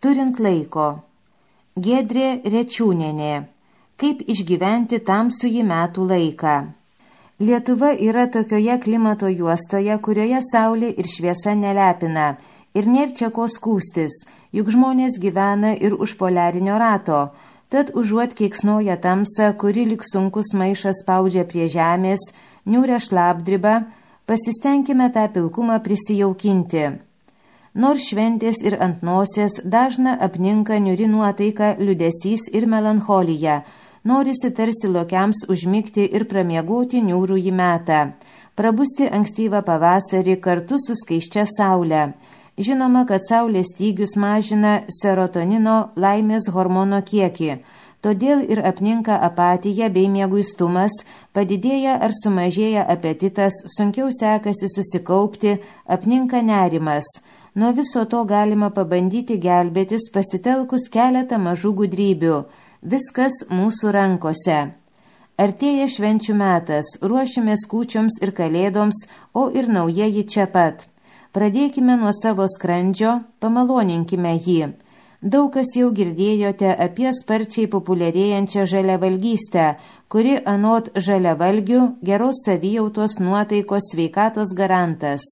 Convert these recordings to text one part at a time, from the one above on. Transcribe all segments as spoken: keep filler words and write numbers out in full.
Turint laiko. Giedrė Rečiūnienė. Kaip išgyventi tamsųjį metų laiką. Lietuva yra tokioje klimato juostoje, kurioje saulė ir šviesa nelepina ir nėr čia ko skūstis, juk žmonės gyvena ir už poliarinio rato. Tad užuot keiksnoja tamsą, kuri lyg sunkus maišas spaudžia prie žemės, niūrę šlapdribą, pasistengime tą pilkumą prisijaukinti. Nors šventės ir ant nosės dažna apninka niūri nuotaika, liūdesys ir melancholija, norisi tarsi lokiams užmigti ir pramiegoti niūrųjį metą, prabusti ankstyvą pavasarį kartu su skaisčia saule. Žinoma, kad saulės stygius mažina serotonino laimės hormono kiekį, todėl ir apninka apatija bei mieguistumas, padidėja ar sumažėja apetitas, sunkiau sekasi susikaupti, apninka nerimas. Nuo viso to galima pabandyti gelbėtis pasitelkus keletą mažų gudrybių. Viskas mūsų rankose. Artėja švenčių metas, ruošimės kūčioms ir kalėdoms, o ir naujieji čia pat. Pradėkime nuo savo skrandžio, pamaloninkime jį. Daug kas jau girdėjote apie sparčiai populiarėjančią žaliavalgystę, kuri anot žaliavalgių geros savijautos, nuotaikos, sveikatos garantas.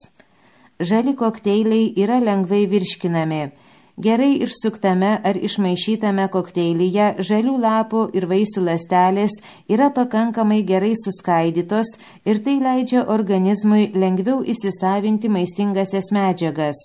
Žali kokteiliai yra lengvai virškinami. Gerai išsuktame ar išmaišytame kokteilyje žalių lapų ir vaisių ląstelės yra pakankamai gerai suskaidytos ir tai leidžia organizmui lengviau įsisavinti maistingasias medžiagas.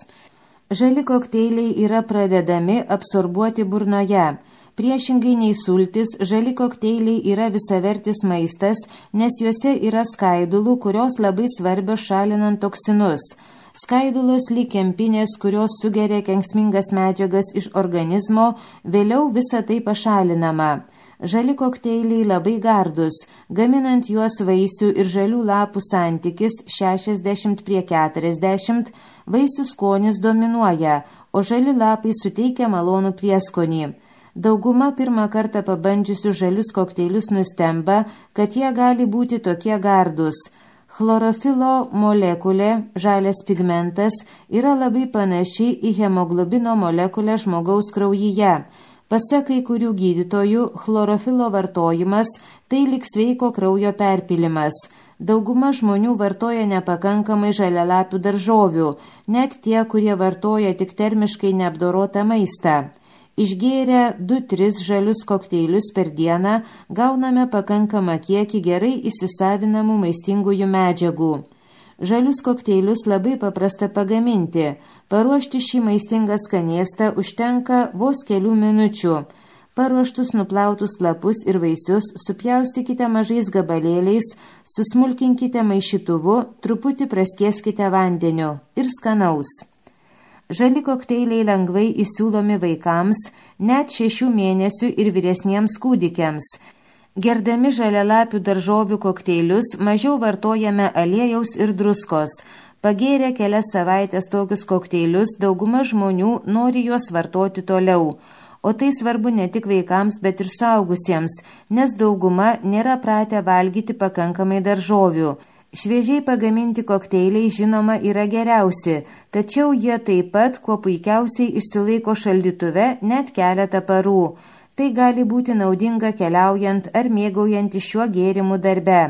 Žali kokteiliai yra pradedami absorbuoti burnoje. Priešingai nei sultis, žali kokteiliai yra visavertis maistas, nes juose yra skaidulų, kurios labai svarbios šalinant toksinus. Skaidulos lyg kempinės, kurios sugeria kenksmingas medžiagas iš organizmo, vėliau visa tai pašalinama. Žali kokteiliai labai gardus, gaminant juos vaisių ir žalių lapų santykis šešiasdešimt prie keturiasdešimt, vaisių skonis dominuoja, o žali lapai suteikia malonų prieskonį. Dauguma pirmą kartą pabandžiusių žalius kokteilius nustemba, kad jie gali būti tokie gardus. Chlorofilo molekulė, žalias pigmentas, yra labai panaši į hemoglobino molekulę žmogaus kraujyje. Pasak kai kurių gydytojų, chlorofilo vartojimas tai lyg sveiko kraujo perpilimas. Dauguma žmonių vartoja nepakankamai žalialapių daržovių, net tie, kurie vartoja tik termiškai neapdorotą maistą. Išgėrę du tris žalius kokteilius per dieną gauname pakankamą kiekį gerai įsisavinamų maistingųjų medžiagų. Žalius kokteilius labai paprasta pagaminti. Paruošti šį maistingą skanėstą užtenka vos kelių minučių. Paruoštus nuplautus lapus ir vaisius supjaustykite mažais gabalėliais, susmulkinkite maišytuvu, truputį praskieskite vandeniu ir skanaus. Žali kokteiliai lengvai įsiūlomi vaikams, net šešių mėnesių ir vyresniems kūdikiams. Gerdami žalialapių daržovių kokteilius mažiau vartojame aliejaus ir druskos. Pagėrę kelias savaitės tokius kokteilius, dauguma žmonių nori juos vartoti toliau. O tai svarbu ne tik vaikams, bet ir suaugusiems, nes dauguma nėra pratę valgyti pakankamai daržovių. Šviežiai pagaminti kokteiliai žinoma yra geriausi, tačiau jie taip pat kuo puikiausiai išsilaiko šaldytuve net keletą parų. Tai gali būti naudinga keliaujant ar mėgaujant šiuo gėrimu darbe.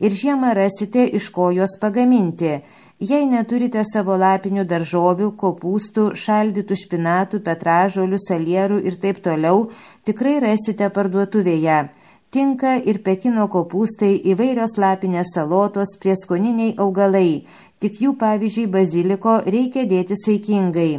Ir žiemą rasite iš ko juos pagaminti. Jei neturite savo lapinių daržovių, kopūstų, šaldytų špinatų, petražolių, salierų ir taip toliau, tikrai rasite parduotuvėje. Tinka ir Pekino kopūstai, įvairios lapinės salotos, prieskoniniai augalai. Tik jų, pavyzdžiui, baziliko reikia dėti saikingai.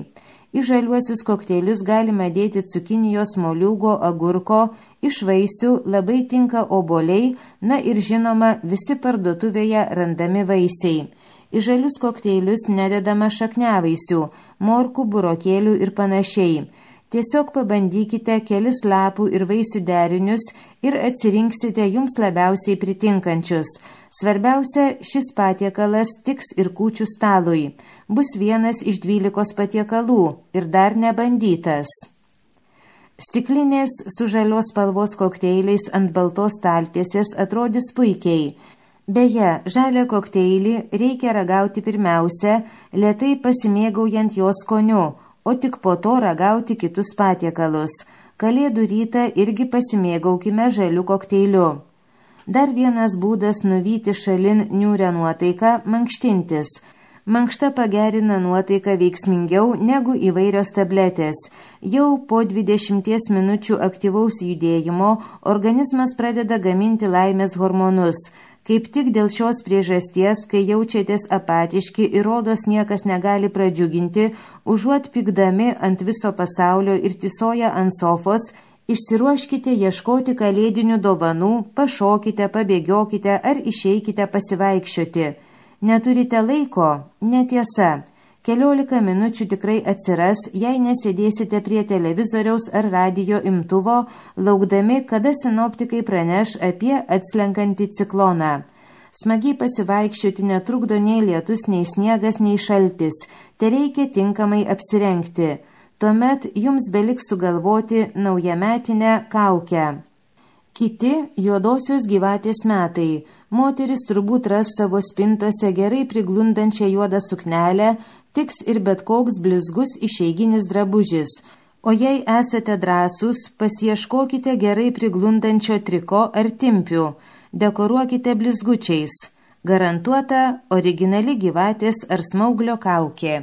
Į žaliuosius kokteilius galima dėti cukinijos, moliūgo, agurko, iš vaisių labai tinka obuoliai, na ir žinoma visi parduotuvėje randami vaisiai. Į žalius kokteilius nededama šakniavaisių, morkų, burokėlių ir panašiai. Tiesiog pabandykite kelis lapų ir vaisių derinius ir atsirinksite jums labiausiai pritinkančius. Svarbiausia, šis patiekalas tiks ir kūčių stalui. Bus vienas iš dvylikos patiekalų ir dar nebandytas. Stiklinės su žalios spalvos kokteiliais ant baltos staltiesės atrodys puikiai. Beje, žalią kokteilį reikia ragauti pirmiausia, lėtai pasimėgaujant jo skoniu, o tik po to ragauti kitus patiekalus. Kalėdų rytą irgi pasimėgaukime žaliu kokteiliu. Dar vienas būdas nuvyti šalin niūrią nuotaiką – mankštintis. Mankšta pagerina nuotaiką veiksmingiau negu įvairios tabletės. Jau po dvidešimties minučių aktyvaus judėjimo organizmas pradeda gaminti laimės hormonus. Kaip tik dėl šios priežasties, kai jaučiatės apatiški ir rodos niekas negali pradžiuginti, užuot pykdami ant viso pasaulio ir tysoja ant sofos, išsiruoškite ieškoti kalėdinių dovanų, pašokite, pabėgiokite ar išeikite pasivaikščioti. Neturite laiko? Netiesa. Keliolika minučių tikrai atsiras, jei nesėdėsite prie televizoriaus ar radijo imtuvo, laukdami, kada sinoptikai praneš apie atslenkantį cikloną. Smagiai pasivaikščioti netrukdo nei lietus, nei sniegas, nei šaltis. Tereikia tinkamai apsirengti. Tuomet jums beliks sugalvoti naujametinę kaukę. Kiti juodosios gyvatės metai. Moteris turbūt ras savo spintose gerai priglundančią juodą suknelę, tiks ir bet koks blizgus išeiginis drabužis. O jei esate drąsūs, pasieškokite gerai priglundančio triko ar timpių. Dekoruokite blizgučiais. Garantuota originali gyvatės ar smauglio kaukė.